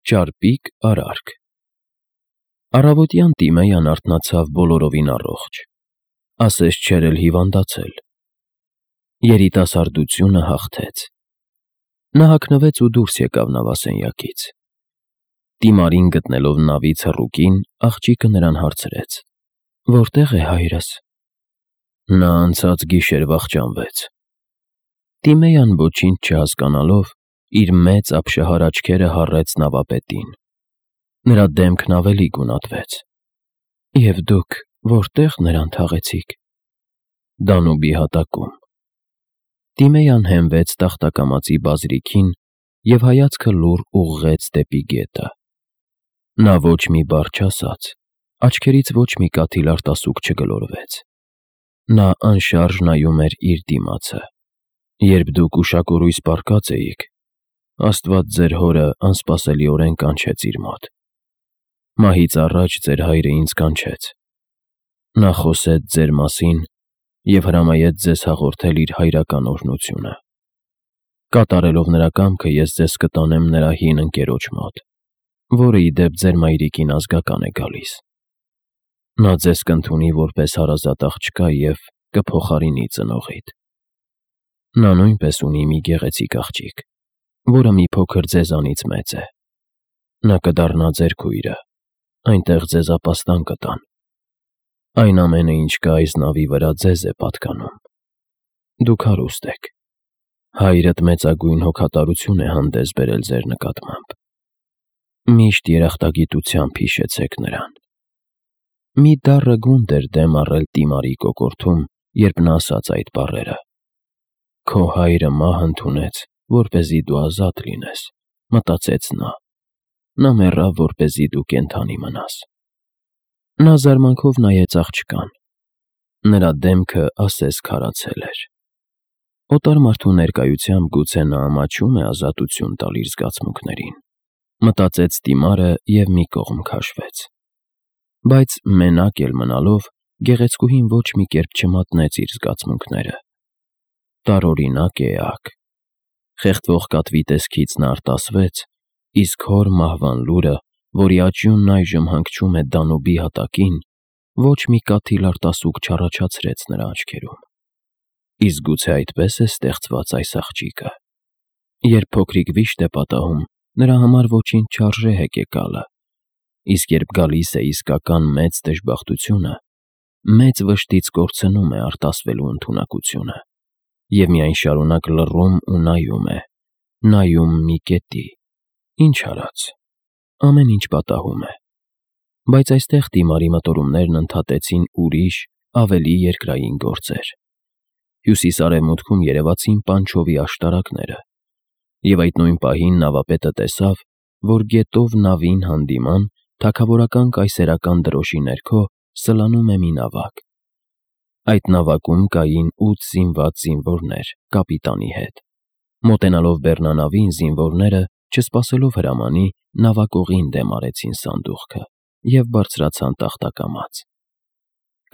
Ճարպիկ արարք։ Առավոտյան Տիմեյան արթնացավ բոլորովին առողջ, ասես չէր էլ հիվանդացել։ Երիտասարդությունը հաղթեց։ Նա հագնվեց ու դուրս եկավ նավասենյակից։ Տիմարին գտնելով նավից հռուկին, աղջիկը նրան հարցրեց. «Որտե՞ղ է հայրս»։ Նա անցած գիշեր վախճանվեց։ Տիմեյան ոչինչ չհասկանալով, իր մեծ ապշահար աչքերը հառեց նավապետին։ Նրա դեմքն ավելի գունատվեց։ «Եվ դուք որտե՞ղ նրան թաղեցիք»։ Դանուբի հատակում։ Տիմեյան հենվեց տախտակամածի բազրիքին և հայացքը լուռ ուղղեց դեպի գետը։ Նա ոչ մի բառ չասաց, աչքերից ոչ մի կաթիլ արտասուք չգլորվեց։ Նա անշարժ նայում էր իր դիմացը։ «Երբ դուք ուշակորույս պառկած էիք, Աստված ձեր հորը անսպասելիորեն կանչեց իր մոտ։ Մահից առաջ ձեր հայրը ինձ կանչեց։ Նա խոսեց ձեր մասին և հրամայեց ձեզ հաղորդել իր հայրական օրհնությունը։ Կատարելով նրա կամքը ես ձեզ կտանեմ նրա հին ընկերոջ մոտ, որը ի դեպ ձեր մայրիկին ազգական է գալիս։ Նա ձեզ կընդունի որպես հարազատ աղջկա և կփոխարինի ծնողիդ։ Նա նույնպես ունի մի գեղեցիկ աղջիկ, որը մի փոքր ձեզանից մեծ է։ Նա կդառնա ձեր քույրը, այնտեղ ձեզ ապաստան կտան։ Այն ամենը, ինչ կա այս նավի վրա, ձեզ է պատկանում։ Դուք հարուստ եք։ Հայրդ մեծագույն հոգատարություն է հանդես բերել ձեր նկատմամբ։ Միշտ երախտագիտությամբ հիշեցեք նրան»։ Մի դառը գունդ էր դեմ առել Տիմարի կոկորդում, երբ նա ասաց այդ բառերը։ «Քո հայրը մահ ընդունեց, որպեսզի դու ազատ լինես», մտածեց նա։ Նա մեռավ, որպեսզի դու կենդանի մնաս։ Նա զարմանքով նայեց աղջկան։ Նրա դեմքը ասես քարացել էր։ Օտար մարդու ներկայությամբ գուցե նա ամաչում է ազատություն տալ իր զգացմունքներին, մտածեց Տիմարը և մի կողմ քաշվեց։ Բայց մենակ էլ մնալով, գեղեցկուհին ոչ մի կերպ չմատնեց իր զգացմունքները։ Տարօրինակ էակ։ Խեղդվող կատվի տեսքից նա արտասվեց, իսկ հոր մահվան լուրը, որի աճյունն այժմ հանգչում է Դանուբի հատակին, ոչ մի կաթիլ արտասուք չառաջացրեց նրա աչքերում։ Իսկ գուցե այդպես է ստեղծված այս աղջիկը։ Երբ փոքրիկ վիշտ է պատահում, նրա համար ոչինչ չարժե հեկեկալը, իսկ երբ գալիս է իսկական մեծ դժբախտությունը, մեծ վշտից կորցնում է արտասվելու ընդունակությունը և միայն շարունակ լռում ու նայում մի կետի։ Ինչ արած, ամեն ինչ պատահում է։ Բայց այստեղ Տիմարի մտորումներն ընդհատեցին ուրիշ, ավելի երկրային գործեր։ Հյուսիս-արևմուտքում երևացին Պանչովի աշտարակները, և այդ նույն պահին նավապետը տեսավ, որ գետով նավին հանդիման թագավորական կայսերական դրոշի ներքո սլանում է մի նավակ։ Այդ նավակում կային 8 զինված զինվորներ կապիտանի հետ։ Մոտենալով բեռնանավին, զինվորները, չսպասելով հրամանի, նավակողին դեմ արեցին սանդուղքը և բարձրացան տախտակամած։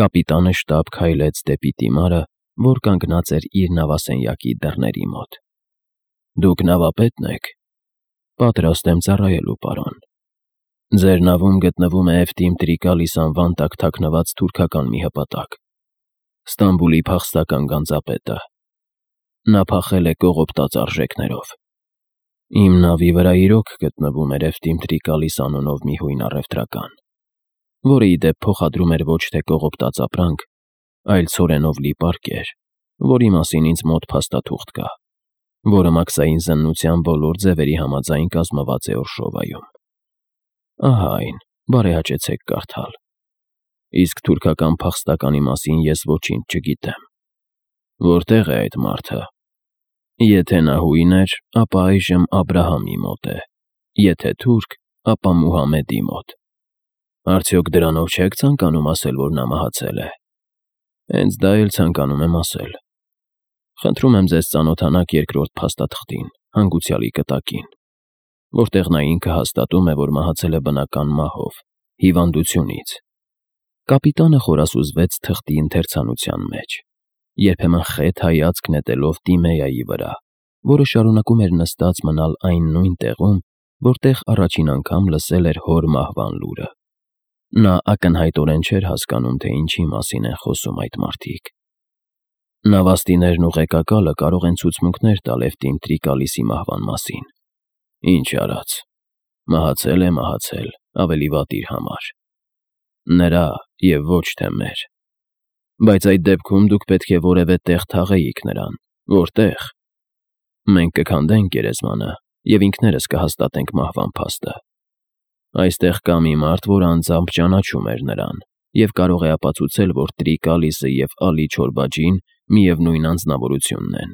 Կապիտանը շտապ քայլեց դեպի Տիմարը, որ կանգնած էր իր նավասենյակի դռների մոտ։ «Դուք նավապետն եք»։ «Պատրաստ եմ ծառայելու, պարոն»։ «Ձեր նավում գտնվում է Էֆթիմ Տրիկալիս անվան տակ թաքնված թուրքական մի հպատակ։ Ստամբուլի փախստական գանձապետը։ Նա փախել է կողոպտած արժեքներով։ Իմ նավի վրա իրոք գտնվում էր Էֆթիմ Տրիկալիս անունով մի հույն առևտրական, որը ի դեպ փոխադրում էր ոչ թե կողոպտած ապրանք, այլ ցորենով լի պարկեր, որի մասին ինձ մոտ փաստաթուղթ կա, որը մաքսային զննության բոլոր ձևերի համաձայն կազմված է Օրշովայում։ Ահա այն, բարեհաճեցեք կարդալ։ Իսկ թուրքական փախստականի մասին ես ոչինչ չգիտեմ։ Որտե՞ղ է այդ մարդը։ Եթե նա հույն էր, ապա այժմ Աբրահամի մոտ է, եթե թուրք, ապա Մուհամեդի մոտ։ Արդյոք դրանով չեք ցանկանում ասել, որ նա մահացել է։ Հենց դա էլ ցանկանում եմ ասել։ Խնդրում եմ ձեզ ծանոթանաք երկրորդ փաստաթղթին, հանգուցյալի կտակին, որտեղ նա ինքը հաստատում է, որ մահացել է բնական մահով, հիվանդությունից։ Կապիտանը խորասուզվեց թղթի ընթերցանության մեջ, երբեմն խետ հայացք նետելով Տիմեայի վրա, որը շարունակում էր նստած մնալ այն նույն տեղում, որտեղ առաջին անգամ լսել էր հոր մահվան լուրը։ Նա ակնհայտորեն չէր հասկանում, թե ինչի մասին են խոսում այդ մարդիկ։ Նավաստիներն ու ղեկակալը կարող են ցուցմունքներ տալ Էվտիմ Տրիկալիսի մահվան մասին։ Ինչ արած։ Մահացել է մահացել, ավելի վատ իր համար։ Նրա և ոչ թե մեր։ Բայց այդ դեպքում դուք պետք է որևէ տեղ թաղեիք նրան, որտեղ։ Մենք կքանդենք գերեզմանը և ինքներս կհաստատենք մահվան փաստը։ Այստեղ կա մի մարդ, որ անձամբ ճանաչում էր նրան և կարող է ապացուցել, որ Տրիկալիսը և Ալի Չորբաջին միևնույն անձնավորությունն են։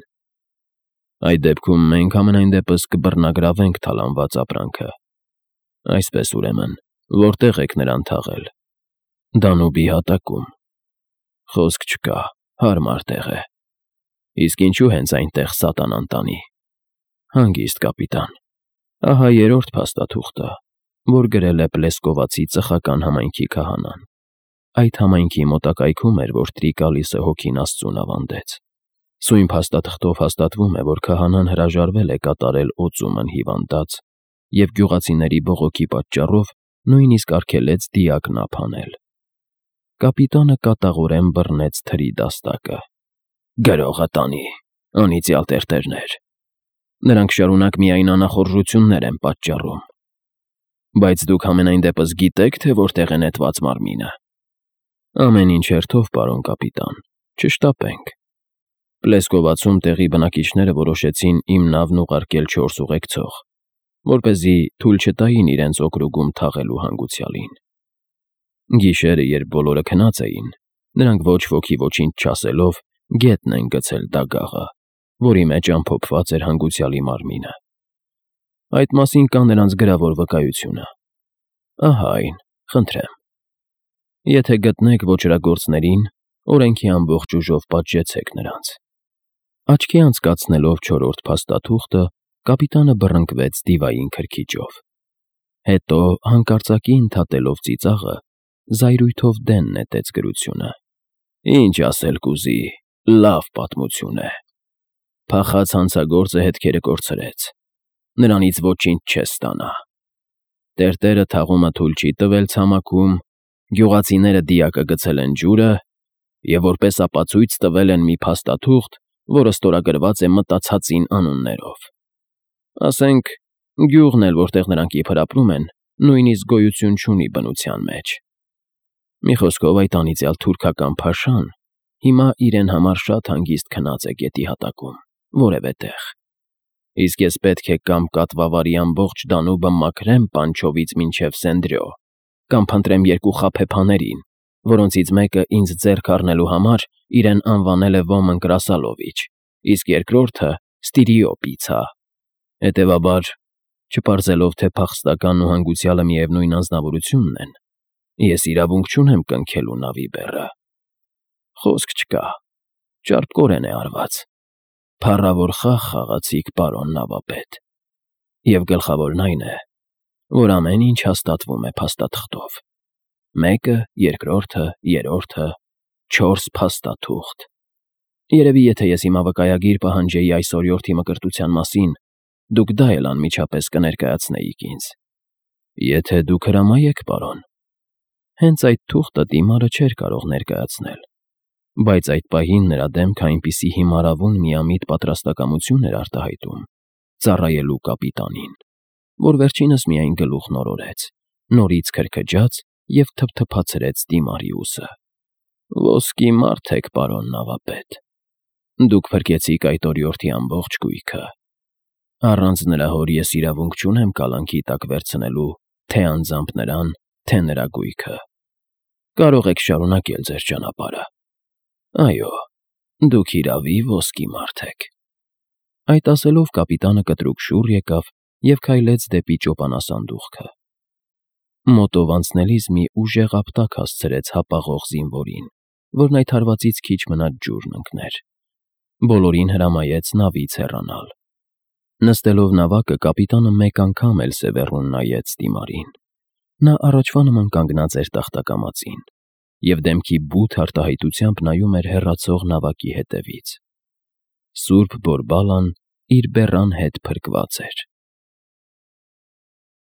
Այդ դեպքում մենք համենայն դեպս կբռնագրավենք թալանված ապրանքը։ Այսպես ուրեմն, որտեղ եք նրան թաղել։ Դանուբի հատակում։ Խոսք չկա, հարմար տեղ է։ Իսկ ինչու հենց այնտեղ սատանան տանի։ Հանգիստ, կապիտան։ Ահա երրորդ փաստաթուղթը, որ գրել է Պլեսկովացի ծխական համայնքի քահանան։ Այդ համայնքի մոտակայքում էր, որ Տրիկալիսը հոգին Աստծուն ավանդեց։ Սույն փաստաթղթով հաստատվում է, որ քահանան հրաժարվել է կատարել օծումն հիվանդած և գյուղացիների բողոքի պատճառով նույնիսկ արգելեց դիակն ափ անել։ Կապիտանը կատաղորեն բռնեց թրի դաստակը։ Գրողը տանի, անիծյալ տերտերներ։ Նրանք շարունակ միայն անախորժություններ են պատճառում։ Բայց դուք համենայն դեպս գիտեք, թե որտեղ է նետված մարմինը։ Ամեն ինչ հերթով, պարոն կապիտան, չշտապենք։ Պլեսկովացում տեղի բնակիչները որոշեցին իմ նավն ուղարկել 4 ուղեկցող, որպեսզի թույլ չտային իրենց օկրուգում թաղելու հանգուցյալին։ Գիշերը, երբ բոլորը քնած էին, նրանք ոչ ոքի ոչինչ չասելով գետն են գցել դագաղը, որի մեջ ամփոփված էր հանգուցյալի մարմինը։ Այդ մասին կա նրանց գրավոր վկայությունը։ Ահա այն, խնդրեմ։ Եթե գտնեք ոճրագործներին, օրենքի ամբողջ ուժով պատժեցեք նրանց։ Աչքի անցկացնելով 4-րդ փաստաթուղթը, կապիտանը բռնկվեց դիվային քրքիջով։ Հետո, հանկարծակի ընդհատելով ծիծաղը, զայրույթով դեն նետեց գրությունը։ Ինչ ասել կուզի, լավ պատմություն է։ Փախած հանցագործը հետքերը կորցրեց։ Նրանից ոչինչ չես ստանա։ Տերտերը թաղումը թույլ չի տվել ցամաքում, գյուղացիները դիակը գցել են ջուրը և որպես ապացույց տվել են մի փաստաթուղթ, որը ստորագրված է մտացածին անուններով։ Ասենք, գյուղն էլ, որտեղ նրանք իբր ապրում են, նույնիսկ գոյություն չունի բնության մեջ։ Մի խոսքով, այդ անիծյալ թուրքական փաշան հիմա իրեն համար շատ հանգիստ քնած է գետի հատակում, որևէ տեղ։ Իսկ ես պետք է կամ կատվավարի ամբողջ Դանուբը մաքրեմ Պանչովից մինչև Սենդրյո, կամ փնտրեմ 2 խաբեբաներին, որոնցից մեկը ինձ ձեռք առնելու համար իրեն անվանել է Ոմն Կրասալովիչ, իսկ երկրորդը Ստիրիոպիցա։ Հետևաբար, չպարզելով, թե փախստականն ու հանգուցյալը միևնույն անձնավորությունն են, ես իրավունք չունեմ կնքելու նավի բեռը։ Խոսք չկա, ճարպկորեն է արված։ Փառավոր խաղ խաղացիք, պարոն նավապետ։ Եվ գլխավորն այն է, որ ամեն ինչ հաստատվում է փաստաթղթով։ 1-ը, 2-ը, 3-ը, 4 փաստաթուղթ։ Երևի եթե ես հիմա վկայագիր պահանջեի այս օրիորդի մկրտության մասին, դուք դա էլ անմիջապես կներկայացնեիք ինձ։ Եթե դուք հրամայեք, պարոն։ Հենց այդ թուղթը դիմարը չէր կարող ներկայացնել, բայց այդ պահին նրա դեմքը այնպիսի հիմարավուն միամիտ պատրաստակամություն էր արտահայտում ծառայելու կապիտանին, որ վերջինս միայն գլուխն օրորեց, նորից քրքջաց և թփթփացրեց դիմարի ուսը։ Ոսկի մարդ եք, պարոն նավապետ։ Դուք փրկեցիք այդ օրիորդի ամբողջ գույքը։ Առանց նրա հոր ես իրավունք չունեմ կալանքի տակ վերցնելու թե անձամբ նրան, թե նրա գույքը։ Կարող եք շարունակել ձեր ճանապարհը։ Այո, դուք իրավի ոսկի մարդ եք։ Այդ ասելով կապիտանը կտրուկ շուռ եկավ և քայլեց դեպի ճոպանասանդուղքը։ Մոտով անցնելիս մի ուժեղ ապտակ հասցրեց հապաղող զինվորին, որն այդ հարվածից քիչ մնաց ջուրն ընկներ։ Բոլորին հրամայեց նավից հեռանալ։ Նստելով նավակը, կապիտանը մեկ անգամ էլ սևեռուն նայեց դիմարին։ Նա առաջվա նման կանգնած էր տախտակամածին և դեմքի բութ արտահայտությամբ նայում էր հեռացող նավակի հետևից։ Սուրբ Բորբալան իր բեռան հետ փրկված էր։